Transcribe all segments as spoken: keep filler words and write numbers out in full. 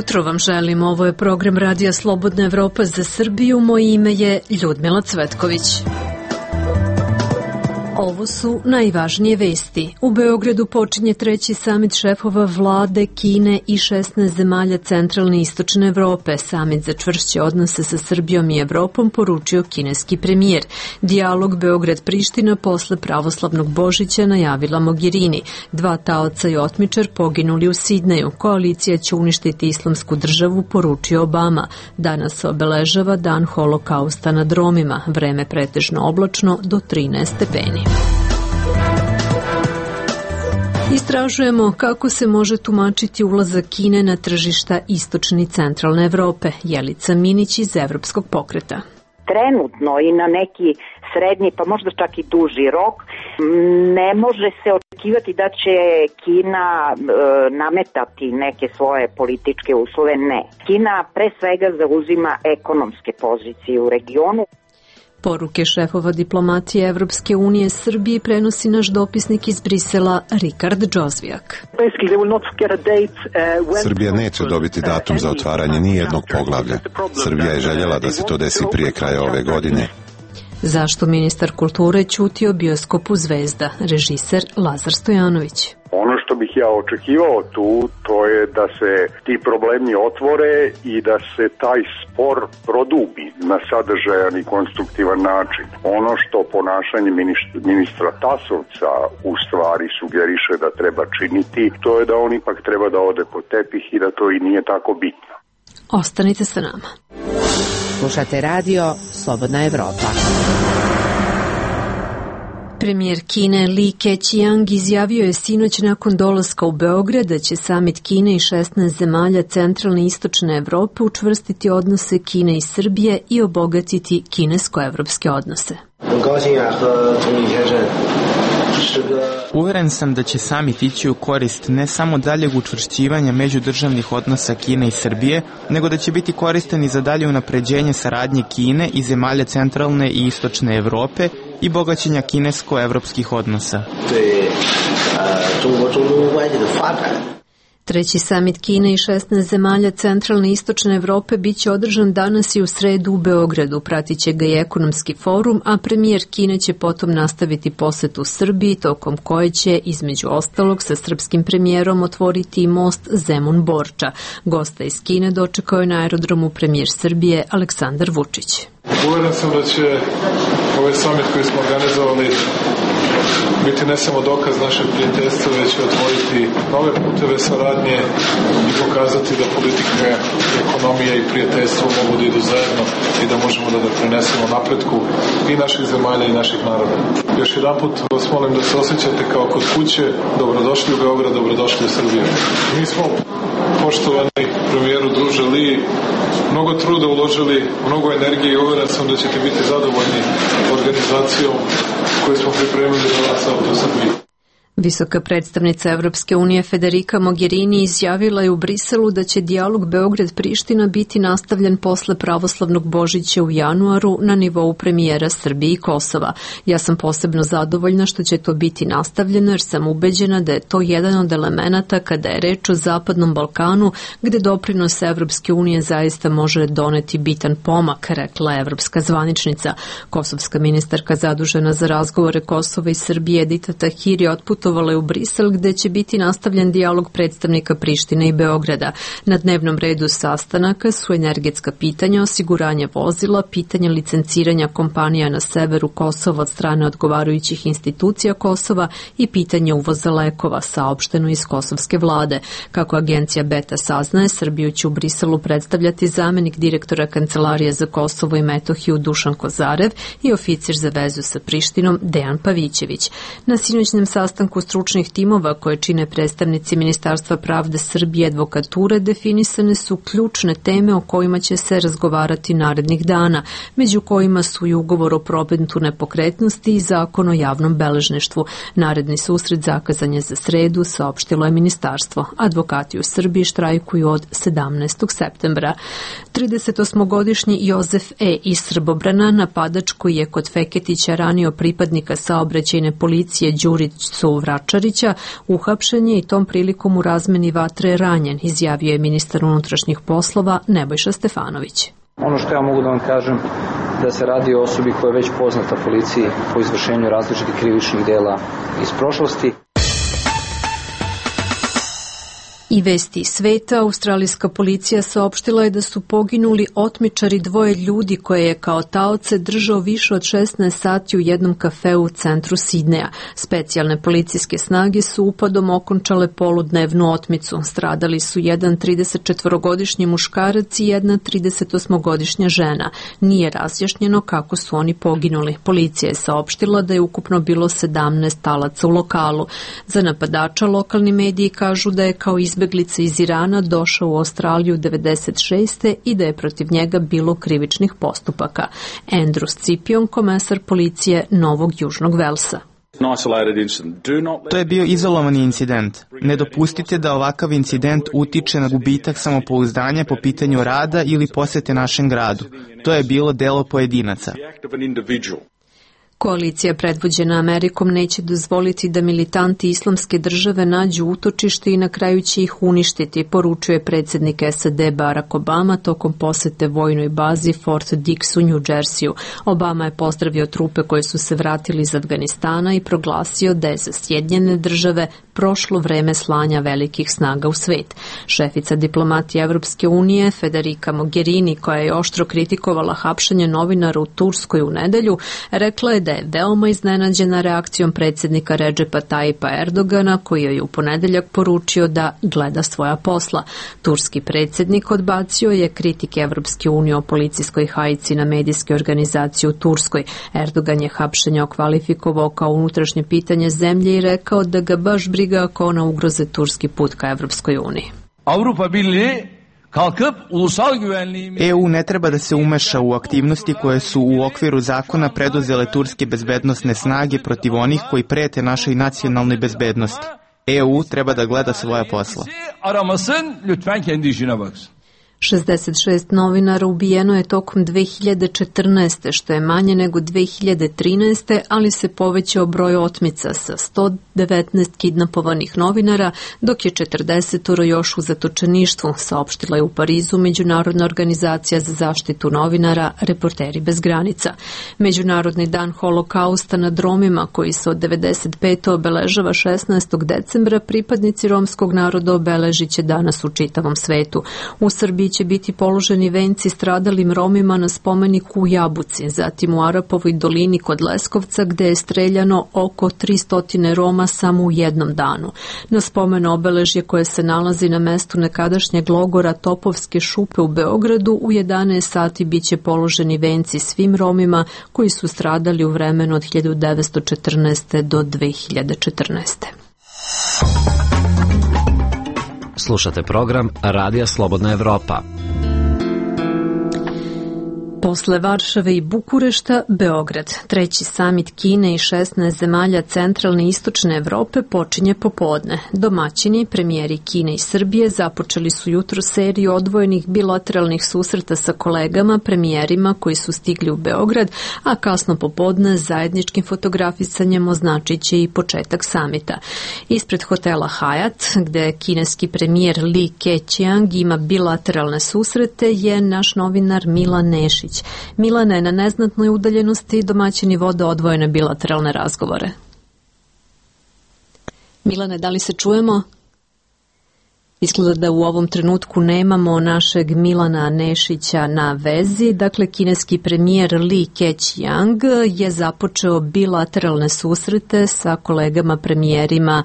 jutro vam želim. Ovo je program Radija Slobodna Evropa za Srbiju. Moje ime je Ljudmila Cvetković. Ovo su najvažnije vesti. U Beogradu počinje treći samit šefova vlade Kine i šesnaest zemalja centralne i istočne Evrope. Samit za čvršće odnose sa Srbijom i Evropom poručio kineski premijer. Dijalog Beograd-Priština posle pravoslavnog Božića najavila Mogherini. Dva taoca i otmičar poginuli u Sidneju. Koalicija će uništiti islamsku državu, poručio Obama. Danas se obeležava dan holokausta nad Romima. Vreme pretežno oblačno do trinaest stepeni. Istražujemo kako se može tumačiti ulazak Kine na tržišta istočne i centralne Evrope. Jelica Minić iz Evropskog pokreta. Trenutno i na neki srednji, pa možda čak i duži rok, ne može se očekivati da će Kina e, nametati neke svoje političke uslove. Ne. Kina pre svega zauzima ekonomske pozicije u regionu. Poruke šefova diplomatije Evropske unije Srbiji prenosi naš dopisnik iz Brisela Rikard Džozvijak. Srbija neće dobiti datum za otvaranje nijednog poglavlja. Srbija je željela da se to desi prije kraja ove godine. Zašto ministar kulture ćuti o bioskopu Zvezda, režiser Lazar Stojanović? Ono što bih ja očekivao tu, to je da se ti problemi otvore i da se taj spor produbi na sadržajan i konstruktivan način. Ono što ponašanje ministra Tasovca u stvari sugeriše da treba činiti, to je da on ipak treba da ode po tepih i da to i nije tako bitno. Ostanite sa nama. Slušate radio Slobodna Evropa. Premijer Kine Li Keqiang izjavio je sinoć nakon dolaska u Beograd da će samit Kine i šesnaest zemalja centralne i istočne Evrope učvrstiti odnose Kine i Srbije i obogatiti kinesko-evropske odnose. Uveren sam da će samit ići u korist ne samo daljeg učvršćivanja međudržavnih odnosa Kine i Srbije, nego da će biti koristan i za dalje unapređenje saradnje Kine i zemalja centralne i istočne Evrope i bogaćenja kinesko-evropskih odnosa. Treći samit Kine i šesnaest zemalja centralne i istočne Evrope biće održan danas i u sredu u Beogradu. Pratiće ga i ekonomski forum, a premijer Kine će potom nastaviti posetu Srbiji, tokom koje će, između ostalog, sa srpskim premijerom otvoriti i most Zemun-Borča. Gosta iz Kine dočekao je na aerodromu premijer Srbije Aleksandar Vučić. Uveren sam da će ovaj samit koji smo organizovali biti ne samo dokaz našeg prijateljstva, već će otvoriti nove puteve saradnje i pokazati da politika, ekonomija i prijateljstvo mogu da idu zajedno i da možemo da doprinesemo napretku i naših zemalja i naših naroda. Još jedan put vas molim da se osjećate kao kod kuće. Dobrodošli u Beograd, dobrodošli u Srbiju. Mi smo, poštovani premijeru druže Li, mnogo truda uložili, mnogo energije i uveren sam da ćete biti zadovoljni organizacijom koju smo pripremili za vas ovdje u Srbiji. Visoka predstavnica Evropske unije Federica Mogherini izjavila je u Briselu da će dijalog Beograd-Priština biti nastavljen posle pravoslavnog Božića u januaru na nivou premijera Srbije i Kosova. Ja sam posebno zadovoljna što će to biti nastavljeno jer sam ubeđena da je to jedan od elemenata kada je reč o Zapadnom Balkanu gde doprinos Evropske unije zaista može doneti bitan pomak, rekla je evropska zvaničnica. Kosovska ministarka zadužena za razgovore Kosova i Srbije Edita Tahiri otputovala je u Brisel gde će biti nastavljen dijalog predstavnika Prištine i Beograda. Na dnevnom redu sastanaka su energetska pitanja, osiguranje vozila, pitanje licenciranja kompanija na severu Kosova od strane odgovarajućih institucija Kosova i pitanje uvoza lekova, saopšteno iz kosovske vlade. Kako agencija Beta saznaje, Srbiju će u Briselu predstavljati zamenik direktora Kancelarije za Kosovo i Metohiju Dušan Kozarev i oficir za vezu sa Prištinom Dejan Pavićević. Na sinoćnem sastanku stručnih timova koje čine predstavnici Ministarstva pravde Srbije i advokature definisane su ključne teme o kojima će se razgovarati narednih dana, među kojima su i ugovor o prometu nepokretnosti i zakon o javnom beležništvu. Naredni susret zakazan je za sredu, saopštilo je ministarstvo. Advokati u Srbiji štrajkuju od sedamnaestog septembra. tridesetosmogodišnji Jozef E. iz Srbobrana, napadač koji je kod Feketića ranio pripadnika saobraćajne policije Đuricu Vračarića, uhapšen je i tom prilikom u razmeni vatre ranjen, izjavio je ministar unutrašnjih poslova Nebojša Stefanović. Ono što ja mogu da vam kažem da se radi o osobi koja je već poznata policiji po izvršenju različitih krivičnih dela iz prošlosti. I vesti sveta, australijska policija saopštila je da su poginuli otmičari dvoje ljudi koje je kao taoce držao više od šesnaest sati u jednom kafeu u centru Sidneja. Specijalne policijske snage su upadom okončale poludnevnu otmicu. Stradali su jedan tridesetčetvorogodišnji muškarac i jedna tridesetosmogodišnja žena. Nije razjašnjeno kako su oni poginuli. Policija je saopštila da je ukupno bilo sedamnaest talaca u lokalu. Za napadača lokalni mediji kažu da je kao izbjeglica iz Irana došao u Australiju devedeset šeste i da je protiv njega bilo krivičnih postupaka. Andrew Scipion, komesar policije Novog Južnog Velsa. To je bio izolovani incident. Ne dopustite da ovakav incident utiče na gubitak samopouzdanja po pitanju rada ili posete našem gradu. To je bilo delo pojedinaca. Koalicija predvođena Amerikom neće dozvoliti da militanti islamske države nađu utočište i na kraju će ih uništiti, poručuje predsjednik S A D Barack Obama tokom posete vojnoj bazi Fort Dix u New Jerseyu. Obama je pozdravio trupe koje su se vratili iz Afganistana i proglasio da je za Sjedinjene države prošlo vreme slanja velikih snaga u svet. Šefica diplomatije Evropske unije Federica Mogherini, koja je oštro kritikovala hapšenje novinara u Turskoj u nedelju, rekla je da je veoma iznenađena reakcijom predsjednika Redžepa Tayyipa Erdogana, koji je u ponedeljak poručio da gleda svoja posla. Turski predsjednik odbacio je kritike Evropske unije o policijskoj hajci na medijske organizacije u Turskoj. Erdogan je hapšenje okvalifikovao kao unutrašnje pitanje zemlje i rekao da ga baš briga ako ona ugroze turski put ka Evropskoj uniji. Avrupa Birliği kalkıp ulusal güvenliğimiz E U ne treba da se umeša u aktivnosti koje su u okviru zakona preduzele turske bezbednosne snage protiv onih koji prete našoj nacionalnoj bezbednosti. E U treba da gleda svoja posla. aramasın, lütfen kendi işine baksın. šezdeset šest novinara ubijeno je tokom dve hiljade četrnaeste, što je manje nego dve hiljade trinaeste, ali se povećao broj otmica sa sto devetnaest kidnapovanih novinara, dok je četrdesetoro još u zatočeništvu, saopštila je u Parizu Međunarodna organizacija za zaštitu novinara Reporteri bez granica. Međunarodni dan holokausta nad Romima, koji se od devedeset pete obeležava šesnaestog decembra, pripadnici romskog naroda obeležit će danas u čitavom svetu. U Srbiji će biti položeni venci stradalim Romima na spomeniku u Jabuci, zatim u Arapovoj dolini kod Leskovca, gde je streljano oko tristo Roma samo u jednom danu. Na spomen obeležje koje se nalazi na mestu nekadašnjeg logora Topovske šupe u Beogradu u jedanaest sati biće položeni venci svim Romima koji su stradali u vremenu od hiljadu devetsto četrnaeste do dve hiljade četrnaeste. Slušate program Radija Slobodna Evropa. Posle Varšave i Bukurešta, Beograd. Treći samit Kine i šesnaest zemalja centralne i istočne Evrope počinje popodne. Domaćini, premijeri Kine i Srbije, započeli su jutro seriju odvojenih bilateralnih susreta sa kolegama, premijerima koji su stigli u Beograd, a kasno popodne zajedničkim fotografisanjem označit će i početak samita. Ispred hotela Hyatt, gde kineski premijer Li Keqiang ima bilateralne susrete, je naš novinar Milan Nešić. Milane, na neznatnoj udaljenosti domaćini vode odvojene bilateralne razgovore. Milane, da li se čujemo? Izgleda da u ovom trenutku nemamo našeg Milana Nešića na vezi. Dakle, kineski premijer Li Keqiang je započeo bilateralne susrete sa kolegama premijerima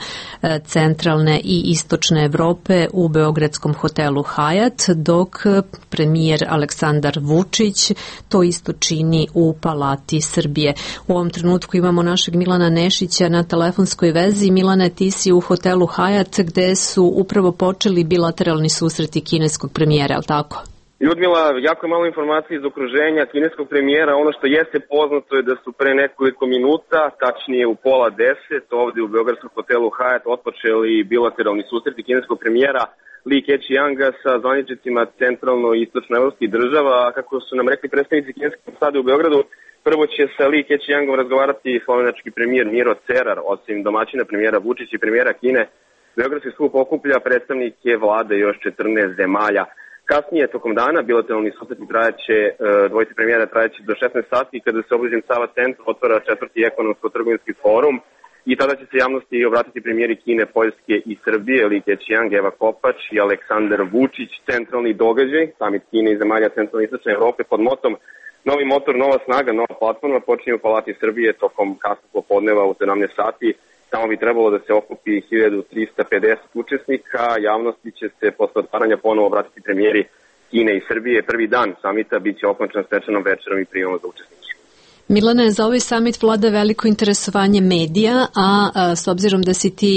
centralne i istočne Evrope u beogradskom hotelu Hyatt, dok premijer Aleksandar Vučić to isto čini u Palati Srbije. U ovom trenutku imamo našeg Milana Nešića na telefonskoj vezi. Milane, ti si u hotelu Hyatt gde su upravo počeli bilateralni susreti kineskog premijera, ali tako? Ljudmila, jako malo informacije iz okruženja kineskog premijera. Ono što jeste poznato je da su pre nekoliko minuta, tačnije u pola deset, ovde u beogradskom hotelu Hyatt otpočeli bilateralni susreti kineskog premijera Li Keqianga sa zvaničnicima centralno i istočno evropskih država. A kako su nam rekli predstavnici kineske ambasade u Beogradu, Prvo će sa Li Keqiangom razgovarati slovenački premijer Miro Cerar, osim domaćina premijera Vučić i premijera Kine. Beogradski skup okuplja predstavnike vlade još četrnaest zemalja. Kasnije, tokom dana, bilateralni susreti trajaće, dvojice premijera trajaće do šesnaest sati, kada se obližnjem Sava centra otvara četvrti ekonomsko-trgovinski forum i tada će se javnosti obratiti premijeri Kine, Poljske i Srbije, Li Keqiang, Eva Kopač i Aleksandar Vučić. Centralni događaj, samit Kine i zemalja centralne i istočne Evrope pod motom Novi motor, nova snaga, nova platforma počinje u Palati Srbije tokom kasnog popodneva u sedamnaest sati. Tamo bi trebalo da se okupi hiljadu trista pedeset učesnika. Javnosti će se posle otvaranja ponovo obratiti premijeri Kine i Srbije. Prvi dan samita biće okončan svečanom večerom i prijemom za učesnike. Milane, za ovaj samit vlada veliko interesovanje medija, a, a s obzirom da si ti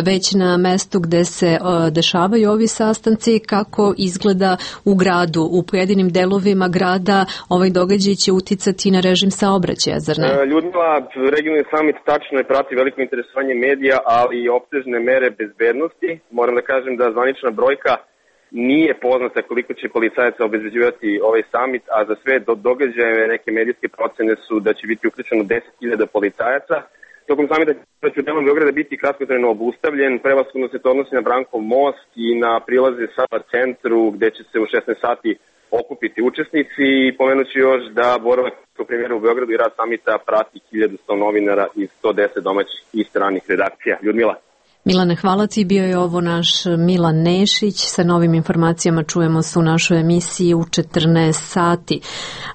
već na mestu gde se a, dešavaju ovi sastanci, kako izgleda u gradu, u pojedinim delovima grada, ovaj događaj će uticati na režim saobraćaja, zar ne? Ljudmila, regionalni samit tačno je prati veliko interesovanje medija, ali i opsežne mere bezbednosti. Moram da kažem da zvanična brojka nije poznata koliko će policajaca obezbeđivati ovaj samit, a za sve do događaje neke medijske procene su da će biti uključeno deset hiljada policajaca. Tokom samita će u delom Beograda biti kratkotrajno obustavljen, prevashodno se to odnosi na Brankov most i na prilaze Sava centru gde će se u šesnaest sati okupiti učesnici i pomenući još da boravak premijera u Beogradu i rad samita prati hiljadu sto novinara i sto deset domaćih i stranih redakcija. Ljudmila. Milane, hvala ti, bio je ovo naš Milan Nešić, sa novim informacijama čujemo se u našoj emisiji u četrnaest sati.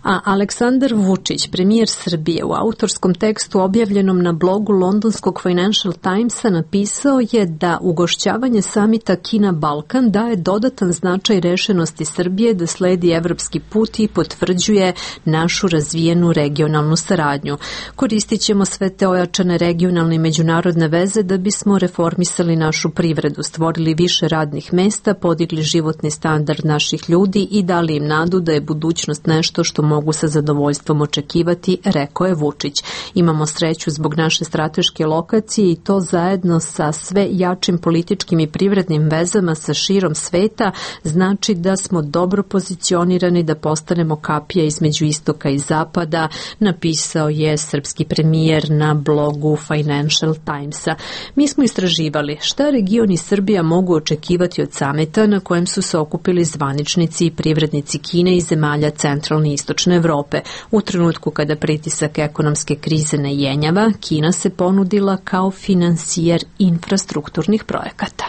A Aleksandar Vučić, premijer Srbije, u autorskom tekstu objavljenom na blogu londonskog Financial Timesa napisao je da ugošćavanje samita Kina-Balkan daje dodatan značaj rešenosti Srbije da sledi evropski put i potvrđuje našu razvijenu regionalnu saradnju. Koristit ćemo sve te ojačane regionalne i međunarodne veze da bismo reformirali misali našu privredu, stvorili više radnih mesta, podigli životni standard naših ljudi i dali im nadu da je budućnost nešto što mogu sa zadovoljstvom očekivati, rekao je Vučić. Imamo sreću zbog naše strateške lokacije i to zajedno sa sve jačim političkim i privrednim vezama sa širom sveta znači da smo dobro pozicionirani da postanemo kapija između istoka i zapada, napisao je srpski premijer na blogu Financial Timesa. Mi smo istraživali šta region i Srbija mogu očekivati od samita na kojem su se okupili zvaničnici i privrednici Kine i zemalja centralne i istočne Evrope. U trenutku kada pritisak ekonomske krize ne jenjava, Kina se ponudila kao finansijer infrastrukturnih projekata.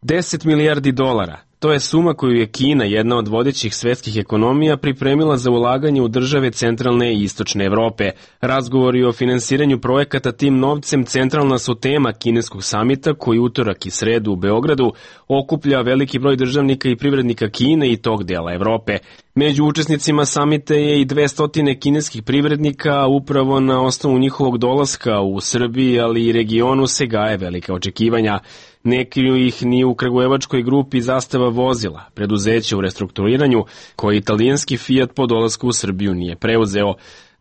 deset milijardi dolara. To je suma koju je Kina, jedna od vodećih svetskih ekonomija, pripremila za ulaganje u države centralne i istočne Evrope. Razgovori o finansiranju projekata tim novcem centralna su tema kineskog samita koji utorak i sredu u Beogradu okuplja veliki broj državnika i privrednika Kine i tog dela Evrope. Među učesnicima samita je i dvesta kineskih privrednika, upravo na osnovu njihovog dolaska u Srbiji, ali i regionu se gaje velika očekivanja. Neki ih ni u kragujevačkoj grupi Zastava vozila, preduzeće u restrukturiranju, koje italijanski Fiat po dolasku u Srbiju nije preuzeo.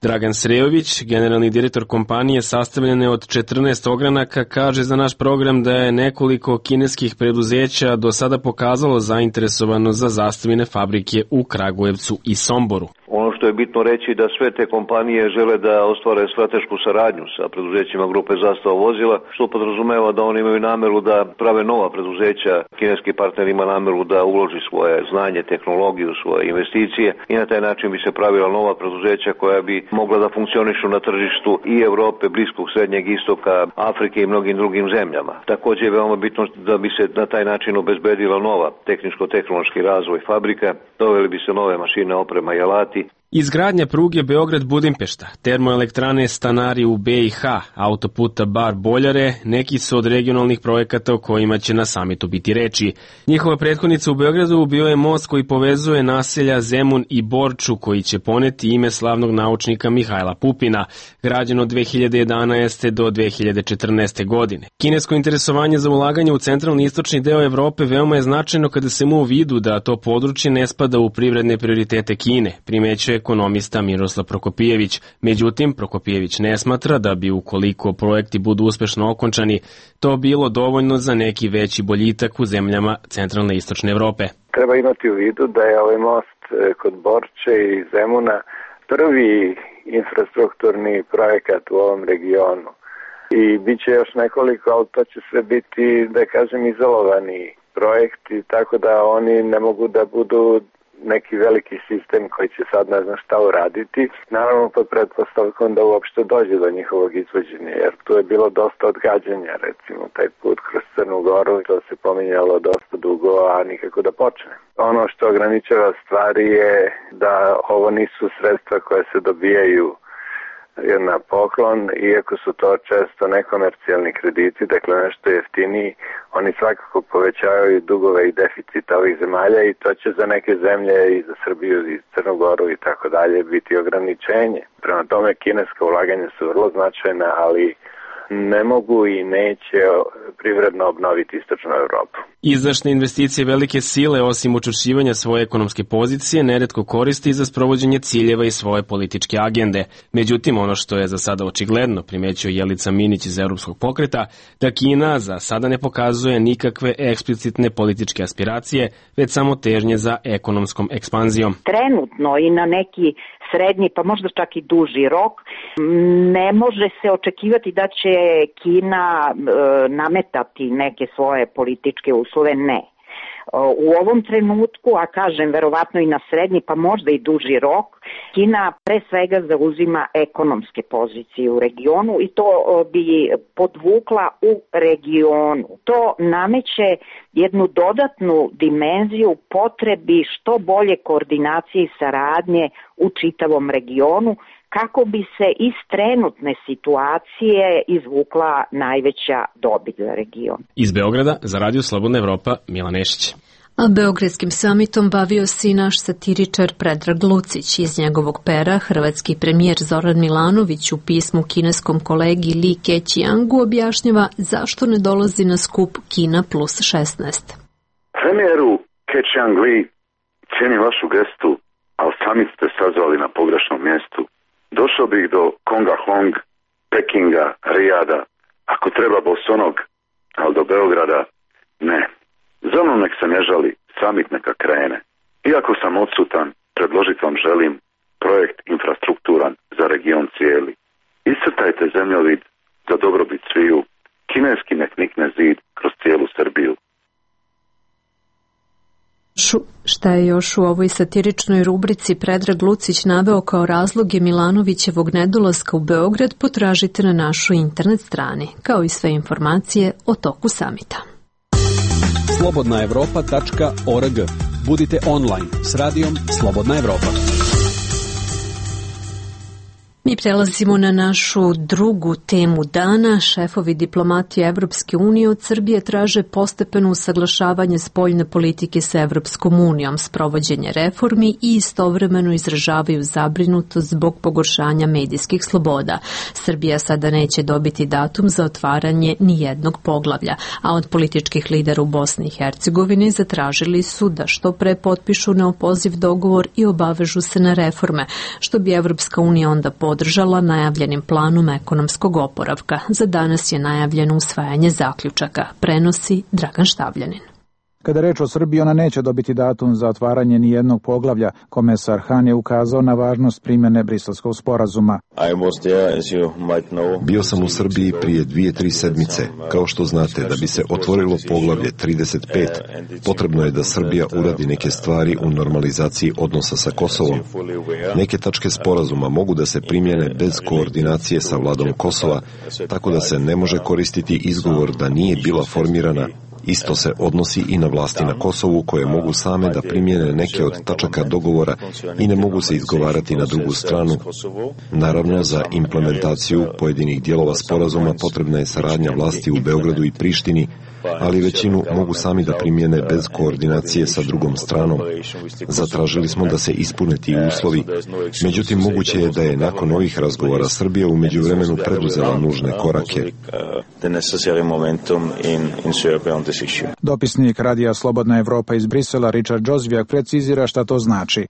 Dragan Srejović, generalni direktor kompanije sastavljene od četrnaest ogranaka, kaže za naš program da je nekoliko kineskih preduzeća do sada pokazalo zainteresovano za zastavine fabrike u Kragujevcu i Somboru. Ono što je bitno reći da sve te kompanije žele da ostvare stratešku saradnju sa preduzećima grupe Zastava vozila, što podrazumeva da oni imaju nameru da prave nova preduzeća. Kineski partner ima nameru da uloži svoje znanje, tehnologiju, svoje investicije i na taj način bi se pravila nova preduzeća koja bi mogla da funkcionišu na tržištu i Evrope, Bliskog, Srednjeg istoka, Afrike i mnogim drugim zemljama. Također je veoma bitno da bi se na taj način obezbedila nova tehničko-tehnološki razvoj fabrika, doveli bi se nove mašine, oprema i alati. Izgradnja pruge Beograd-Budimpešta, termoelektrane Stanari u B i H, autoputa Bar-Boljare, neki su od regionalnih projekata o kojima će na samitu biti reči. Njihova prethodnica u Beogradu bio je most koji povezuje naselja Zemun i Borču, koji će poneti ime slavnog naučnika Mihajla Pupina, građen od dve hiljade jedanaeste. do dve hiljade četrnaeste. godine. Kinesko interesovanje za ulaganje u centralni i istočni deo Evrope veoma je značajno kada se mu u vidu da to područje ne spada u privredne prioritete Kine, primećuje ekonomista Miroslav Prokopijević. Međutim, Prokopijević ne smatra da bi ukoliko projekti budu uspešno okončani, to bilo dovoljno za neki veći boljitak u zemljama centralne i istočne Evrope. Treba imati u vidu da je ovaj most kod Borče i Zemuna prvi infrastrukturni projekat u ovom regionu. I bit će još nekoliko, ali to će sve biti, da kažem, izolovani projekti, tako da oni ne mogu da budu neki veliki sistem koji će sad ne znam šta uraditi. Naravno pod pretpostavkom da uopšte dođe do njihovog izvođenja, jer tu je bilo dosta odgađanja, recimo taj put kroz Crnu Goru, to se pominjalo dosta dugo, a nikako da počne. Ono što ograničava stvari je da ovo nisu sredstva koje se dobijaju na poklon, iako su to često nekomercijalni krediti, dakle nešto jeftiniji, oni svakako povećavaju dugove i deficita ovih zemalja i to će za neke zemlje i za Srbiju i Crnu Goru i tako dalje biti ograničenje. Prema tome kineska ulaganja su vrlo značajna, ali ne mogu i neće privredno obnoviti istočnu Evropu. Izdašne investicije velike sile, osim učvršćivanja svoje ekonomske pozicije, neretko koristi za sprovođenje ciljeva i svoje političke agende. Međutim, ono što je za sada očigledno, primećuje Jelica Minić iz Evropskog pokreta, da Kina za sada ne pokazuje nikakve eksplicitne političke aspiracije, već samo težnje za ekonomskom ekspanzijom. Trenutno i na neki srednji, pa možda čak i duži rok, ne može se očekivati da će Kina e, nametati neke svoje političke uslove, ne. U ovom trenutku, a kažem verovatno i na srednji, pa možda i duži rok, Kina pre svega zauzima ekonomske pozicije u regionu i to bi podvukla u regionu. To nameće jednu dodatnu dimenziju potrebi što bolje koordinacije i saradnje u čitavom regionu, kako bi se iz trenutne situacije izvukla najveća dobit za region. Iz Beograda za Radio Slobodna Evropa, Milan Nešić. A Beogradskim samitom bavio se i naš satiričar Predrag Lucić. Iz njegovog pera hrvatski premijer Zoran Milanović u pismu kineskom kolegi Li Keqiangu objašnjava zašto ne dolazi na skup Kina plus šesnaest. Premijeru Keqiang Li, cijenim vašu gestu, ali sami ste sazvali na pogrešnom mjestu. Došao bih do Konga Hong, Pekinga, Rijada, ako treba bosonog, ali do Beograda ne. Za mnom nek se ne žali, samit neka krene. Iako sam odsutan, predložit vam želim projekt infrastrukturan za region cijeli. Iscrtajte zemljovid za dobrobit sviju, kineski nek nikne zid kroz cijelu Srbiju. Šta je još u ovoj satiričnoj rubrici Predrag Lucić naveo kao razloge Milanovićevog nedolaska u Beograd, potražite na našoj internet strani, kao i sve informacije o toku samita. slobodna evropa tačka org. Budite online s radijom Slobodna Evropa. Mi prelazimo na našu drugu temu dana. Šefovi diplomatije Evropske unije od Srbije traže postepeno usaglašavanje spoljne politike sa Evropskom unijom, sprovođenje reformi i istovremeno izražavaju zabrinutost zbog pogoršanja medijskih sloboda. Srbija sada neće dobiti datum za otvaranje ni jednog poglavlja, a od političkih lidera u Bosni i Hercegovini zatražili su da što pre potpišu neopoziv dogovor i obavežu se na reforme, što bi Evropska unija onda podržala najavljenim planom ekonomskog oporavka. Za danas je najavljeno usvajanje zaključaka, prenosi Dragan Štavljanin. Kada reč o Srbiji, ona neće dobiti datum za otvaranje ni jednog poglavlja. Komesar Han je ukazao na važnost primjene Briselskog sporazuma. Bio sam u Srbiji prije dvije, tri sedmice. Kao što znate, da bi se otvorilo poglavlje trideset pet, potrebno je da Srbija uradi neke stvari u normalizaciji odnosa sa Kosovom. Neke tačke sporazuma mogu da se primjene bez koordinacije sa vladom Kosova, tako da se ne može koristiti izgovor da nije bila formirana. Isto se odnosi i na vlasti na Kosovu, koje mogu same da primjene neke od tačaka dogovora i ne mogu se izgovarati na drugu stranu. Naravno, za implementaciju pojedinih dijelova sporazuma potrebna je saradnja vlasti u Beogradu i Prištini, ali većinu mogu sami da primjene bez koordinacije sa drugom stranom. Zatražili smo da se ispune ti uslovi, međutim moguće je da je nakon ovih razgovora Srbija u međuvremenu preduzela nužne korake. Dopisnik Radija Slobodna Evropa iz Brisela Richard Džozvijak precizira šta to znači.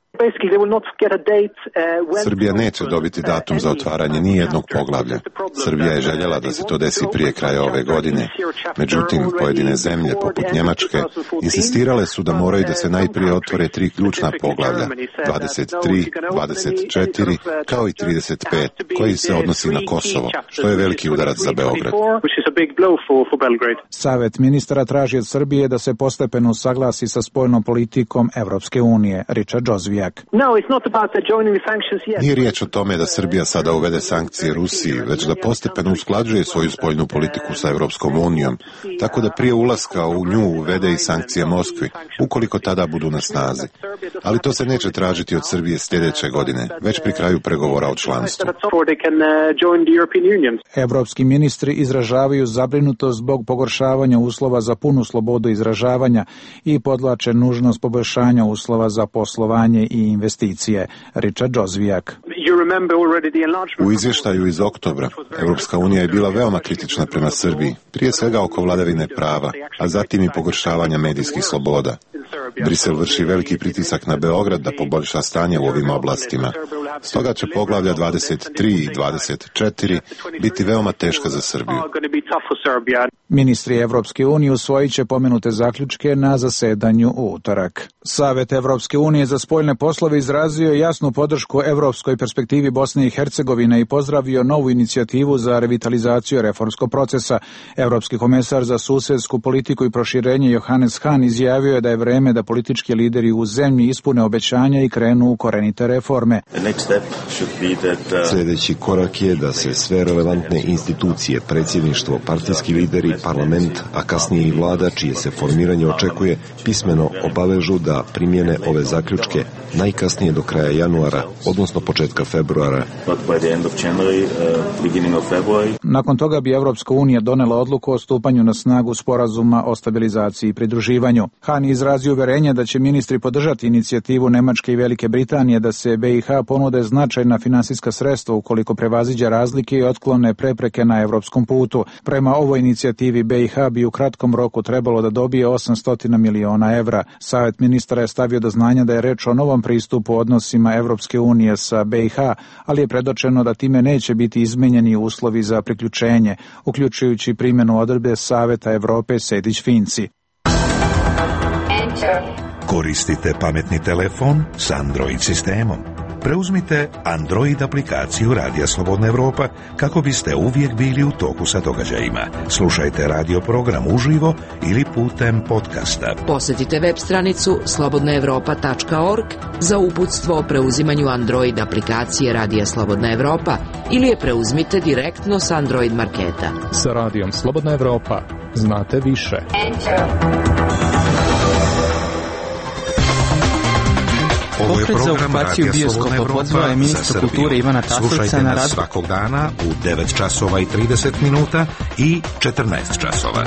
Srbija neće dobiti datum za otvaranje ni jednog poglavlja. Srbija je željela da se to desi prije kraja ove godine. Međutim, pojedine zemlje, poput Njemačke, insistirale su da moraju da se najprije otvore tri ključna poglavlja, dvadeset tri, dvadeset četiri, kao i trideset pet, koji se odnosi na Kosovo, što je veliki udarac za Beograd. Savet ministara traži od Srbije da se postepeno usaglasi sa spoljnom politikom Evropske unije. Richard Jozvijak. Nije riječ o tome da Srbija sada uvede sankcije Rusiji, već da postepeno usklađuje svoju spoljnu politiku sa Evropskom unijom, tako da prije ulaska u nju uvede i sankcije Moskvi, ukoliko tada budu na snazi. Ali to se neće tražiti od Srbije sljedeće godine, već pri kraju pregovora o članstvu. Evropski ministri izražavaju zabrinutost zbog pogoršavanja uslova za punu slobodu izražavanja i podvlače nužnost poboljšanja uslova za poslovanje i investicije. Richard Jozvijak. U izvještaju iz oktobra, Evropska unija je bila veoma kritična prema Srbiji, prije svega oko vladavine prava, a zatim i pogoršavanja medijskih sloboda. Brisel vrši veliki pritisak na Beograd da poboljša stanje u ovim oblastima. Stoga će poglavlja dvadeset tri i dvadeset četiri biti veoma teška za Srbiju. Ministri Evropske unije usvojit će pomenute zaključke na zasedanju u utorak. Savet Evropske unije za spoljne poslove izrazio jasnu podršku evropskoj perspektivi Bosne i Hercegovine i pozdravio novu inicijativu za revitalizaciju reformskog procesa. Evropski komesar za susedsku politiku i proširenje Johannes Hahn izjavio je da je vreme da politički lideri u zemlji ispune obećanja i krenu u korenite reforme. Sljedeći korak je da se sve relevantne institucije, predsjedništvo, partijski lideri, parlament, a kasnije i vlada, čije se formiranje očekuje, pismeno obavežu da primjene ove zaključke najkasnije do kraja januara, odnosno početka februara. Nakon toga bi Evropska unija donela odluku o stupanju na snagu sporazuma o stabilizaciji i pridruživanju. Hahn izrazio uverenje da će ministri podržati inicijativu Nemačke i Velike Britanije da se B i H ponude značajna finansijska sredstva ukoliko prevaziđe razlike i otklone prepreke na evropskom putu. Prema ovoj inicijativi B i H bi u kratkom roku trebalo da dobije osamsto miliona evra. Savet ministara je stavio do znanja da je reč o novom pristupu odnosima Evropske unije sa B i H, ali je predočeno da time neće biti izmenjeni uslovi za priključenje, uključujući primjenu odredbe Saveta Evrope Sejdić-Finci. Koristite pametni telefon s Android sistemom. Preuzmite Android aplikaciju Radija Slobodna Evropa kako biste uvijek bili u toku sa događajima. Slušajte radio program uživo ili putem podcasta. Posjetite web stranicu slobodna evropa tačka org za uputstvo o preuzimanju Android aplikacije Radija Slobodna Evropa ili je preuzmite direktno s Android marketa. Sa Radijom Slobodna Evropa znate više. Ovo je program Radija Slobodna Evropa za Srbiju. Ivana Slušajte nas svakog dana u devet časova i trideset minuta i četrnaest časova.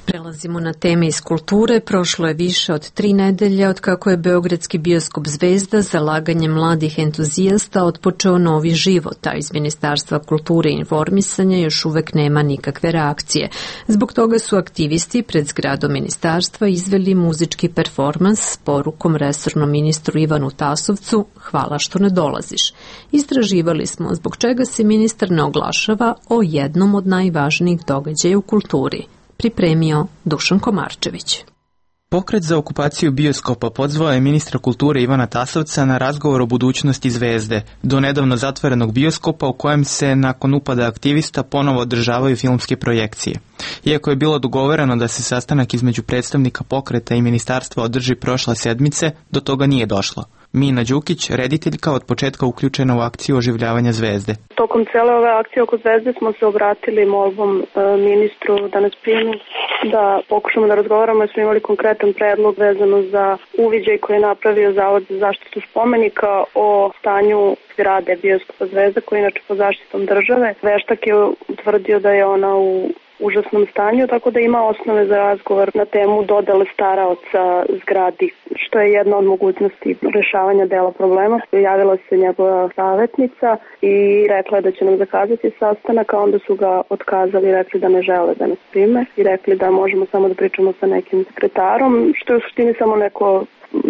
Prelazimo na teme iz kulture. Prošlo je više od tri nedelje od kako je beogradski bioskop Zvezda zalaganjem mladih entuzijasta otpočeo novi život, a iz Ministarstva kulture i informisanja još uvek nema nikakve reakcije. Zbog toga su aktivisti pred zgradom ministarstva izveli muzički performans s porukom resornom ministru Ivanu Tasovcu "Hvala što ne dolaziš". Istraživali smo zbog čega se ministar ne oglašava o jednom od najvažnijih događaja u kulturi. Pripremio Dušan Komarčević. Pokret za okupaciju bioskopa pozvao je ministra kulture Ivana Tasovca na razgovor o budućnosti Zvezde, do nedavno zatvorenog bioskopa u kojem se nakon upada aktivista ponovo održavaju filmske projekcije. Iako je bilo dogovoreno da se sastanak između predstavnika pokreta i ministarstva održi prošle sedmice, do toga nije došlo. Mina Đukić, rediteljka, od početka uključena u akciju oživljavanja Zvezde. Tokom cele ove akcije oko Zvezde smo se obratili molbom e, ministru da nas primi, da pokušamo da razgovaramo, jer smo imali konkretan predlog vezano za uviđaj koji je napravio Zavod za zaštitu spomenika o stanju zgrade bioskopa Zvezda, koji je inače pod zaštitom države. Veštak je utvrdio da je ona u užasnom stanju, tako da ima osnove za razgovor na temu dodele staraoca zgradi, što je jedna od mogućnosti rešavanja dela problema. Javila se njegova savjetnica i rekla je da će nam zakazati sastanak, a onda su ga otkazali i rekli da ne žele da nas prime i rekli da možemo samo da pričamo sa nekim sekretarom, što je u suštini samo neko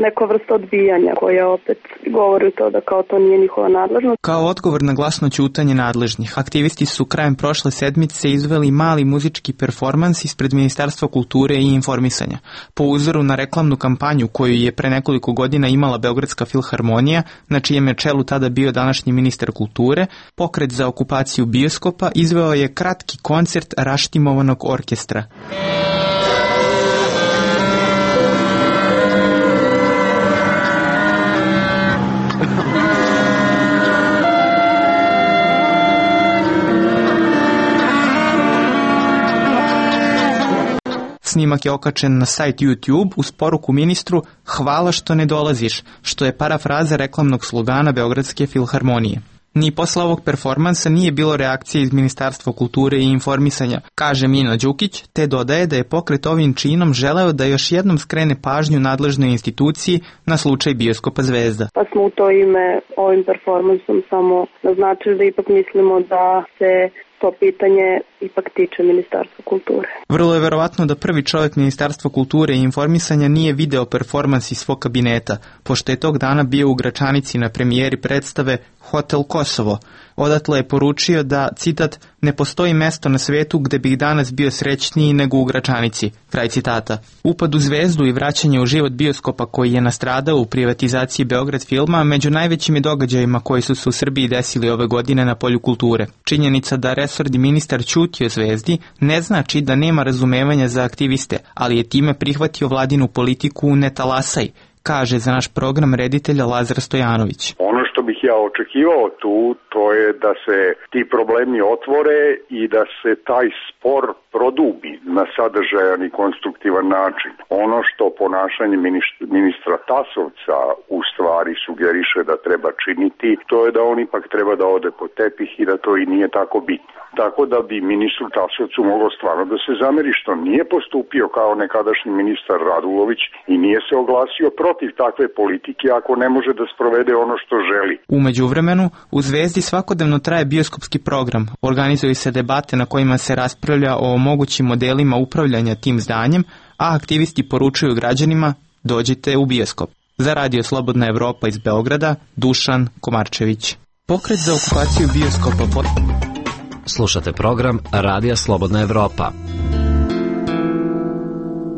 neka vrsta odbijanja koja opet govori to da kao to nije njihova nadležnost. Kao odgovor na glasno ćutanje nadležnih, aktivisti su krajem prošle sedmice izveli mali muzički performans ispred Ministarstva kulture i informisanja. Po uzoru na reklamnu kampanju koju je pre nekoliko godina imala Beogradska filharmonija, na čijem je čelu tada bio današnji ministar kulture, pokret za okupaciju bioskopa izveo je kratki koncert raštimovanog orkestra. Snimak je okačen na sajt YouTube uz poruku ministru "Hvala što ne dolaziš", što je parafraza reklamnog slogana Beogradske filharmonije. Ni posle ovog performansa nije bilo reakcije iz Ministarstva kulture i informisanja, kaže Mino Đukić, te dodaje da je pokret ovim činom želeo da još jednom skrene pažnju nadležnoj instituciji na slučaj bioskopa Zvezda. Pa smo u to ime ovim performansom samo naznačili da ipak mislimo da se to pitanje ipak tiče Ministarstva kulture. Vrlo je verovatno da prvi čovjek Ministarstva kulture i informisanja nije video performans iz svog kabineta, pošto je tog dana bio u Gračanici na premijeri predstave Hotel Kosovo. Odatle je poručio da, citat, "ne postoji mesto na svetu gde bih danas bio srećniji nego u Gračanici", kraj citata. Upad u Zvezdu i vraćanje u život bioskopa koji je nastradao u privatizaciji Beograd filma među najvećim je događajima koji su se u Srbiji desili ove godine na polju kulture. Činjenica da resorni ministar ćuti o Zvezdi ne znači da nema razumevanja za aktiviste, ali je time prihvatio vladinu politiku "ne talasaj", kaže za naš program reditelja Lazar Stojanović. Ono što bih ja očekivao tu, to je da se ti problemi otvore i da se taj spor produbi na sadržajan i konstruktivan način. Ono što ponašanje ministra Tasovca u stvari sugeriše da treba činiti, to je da on ipak treba da ode po tepih i da to i nije tako bitno. Tako da bi ministru Tasovcu moglo stvarno da se zameri što nije postupio kao nekadašnji ministar Radulović i nije se oglasio protiv takve politike ako ne može da sprovede ono što želi. U međuvremenu, u Zvezdi svakodnevno traje bioskopski program. Organizuju se debate na kojima se raspravlja o mogućim modelima upravljanja tim zdanjem, a aktivisti poručuju građanima: dođite u bioskop. Za Radio Slobodna Evropa iz Beograda, Dušan Komarčević. Pokret za okupaciju bioskopa... Pot... Slušate program Radija Slobodna Evropa.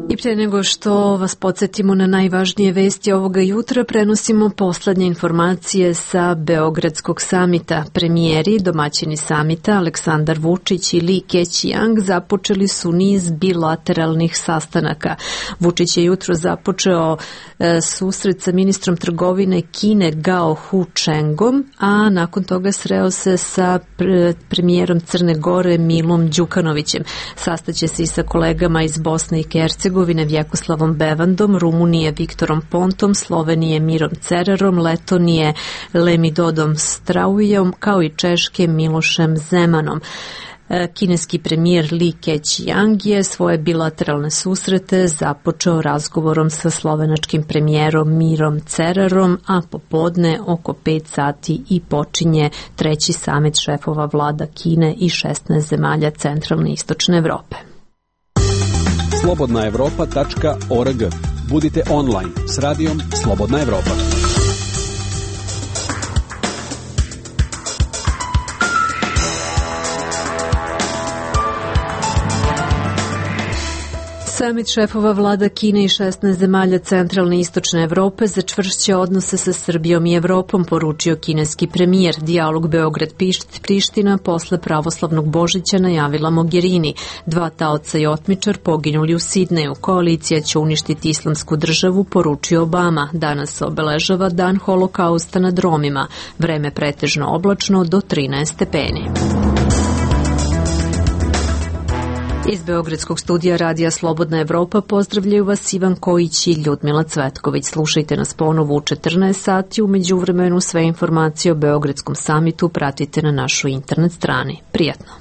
I pre nego što vas podsjetimo na najvažnije vesti ovoga jutra, prenosimo poslednje informacije sa Beogradskog samita. Premijeri, domaćini samita Aleksandar Vučić i Li Keqiang započeli su niz bilateralnih sastanaka. Vučić je jutro započeo e, susret sa ministrom trgovine Kine Gao Hu Chengom, a nakon toga sreo se sa pre, premijerom Crne Gore Milom Đukanovićem. Sastaće se i sa kolegama iz Bosne i Hercegovine Vjekoslavom Bevandom, Rumunije Viktorom Pontom, Slovenije Mirom Cerarom, Letonije Lemidodom Straujom, kao i Češke Milošem Zemanom. Kineski premijer Li Keqiang je svoje bilateralne susrete započeo razgovorom sa slovenačkim premijerom Mirom Cerarom, a popodne oko pet sati i počinje treći samit šefova vlada Kine i šesnaest zemalja centralne i istočne Evrope. slobodna evropa tačka org. Budite online s radijom Slobodna Evropa. Samit šefova vlada Kine i šesnaest zemalja centralne i istočne Evrope začvršće odnose sa Srbijom i Evropom, poručio kineski premijer. Dijalog Beograd-Priština posle pravoslavnog Božića najavila Mogherini. Dva taoca i otmičar poginuli u Sidneju. Koalicija će uništiti islamsku državu, poručio Obama. Danas se obeležava dan holokausta nad Romima. Vreme pretežno oblačno do trinaest stepeni. Iz Beogradskog studija Radija Slobodna Evropa pozdravljaju vas Ivan Kojić i Ljudmila Cvetković. Slušajte nas ponovo u četrnaest sati. U međuvremenu sve informacije o Beogradskom samitu pratite na našoj internet strani. Prijatno!